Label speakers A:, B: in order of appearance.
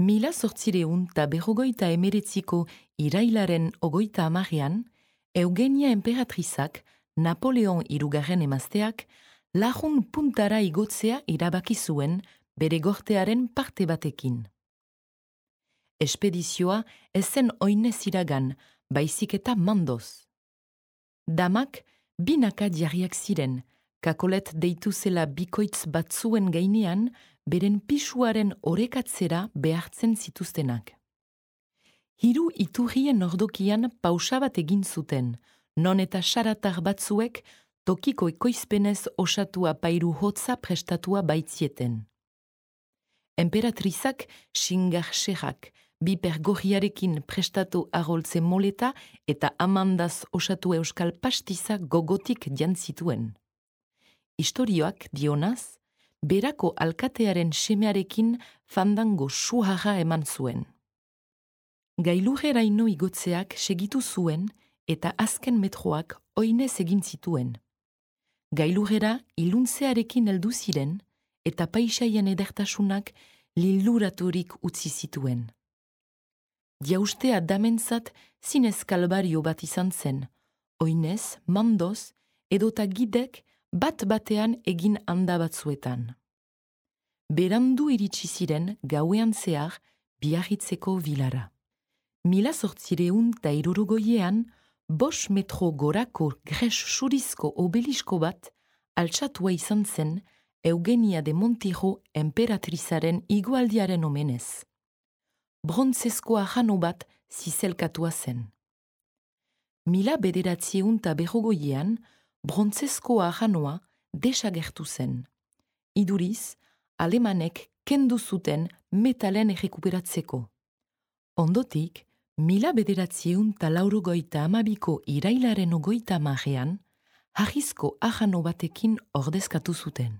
A: 1819ko irailaren 30ean, Eugenia enperatrizak, Napoleon hirugarren emazteak, lagun puntara igotzea irabaki zuen bere gortearen parte batekin. Espedizioa ez zen oinez iragan, baizik eta mandoz. Damak binaka jarriak ziren, kakolet deitu zela bikoitz batzuen gainean, beren pisuaren orekatzera behartzen zituztenak. Hiru iturrien ordokian pausa bat egin zuten, non eta xaratar batzuek tokiko ekoizpenez osatua pairu hotza prestatua baitzieten. Emperatrizak xingar-xerrak, biper gorriarekin prestatu aroltze moleta eta amandaz osatu euskal pastiza gogotik jantzituen. Istorioak dionaz, berako alkatearen semearekin fandango suharra eman zuen. Gailurreraino igotzeak segitu zuen eta azken metroak oinez egin zituen. Gailurrera iluntzearekin heldu ziren eta paisaien edertasunak liluraturik utzi zituen. Jaustea damentzat zinez kalbario bat izan zen, oinez, mandoz, edota gidek bat-batean egin handa batzuetan. Berandu iritsi ziren gauean zehar Biarritzeko vilara. 1860ean, 5 metro gorako gres surizko obelisko bat altxatua izan zen Eugenia de Montijo enperatrizaren igualdiaren omenez. Brontzezkoa jano bat zizelkatua zen. 1900ean, brontzezkoa janoa desagertu zen. Iduriz, alemanek kendu zuten metalen errekuperatzeko. Ondotik, 1982ko irailaren 30ean, harrizko ajano batekin ordezkatu zuten.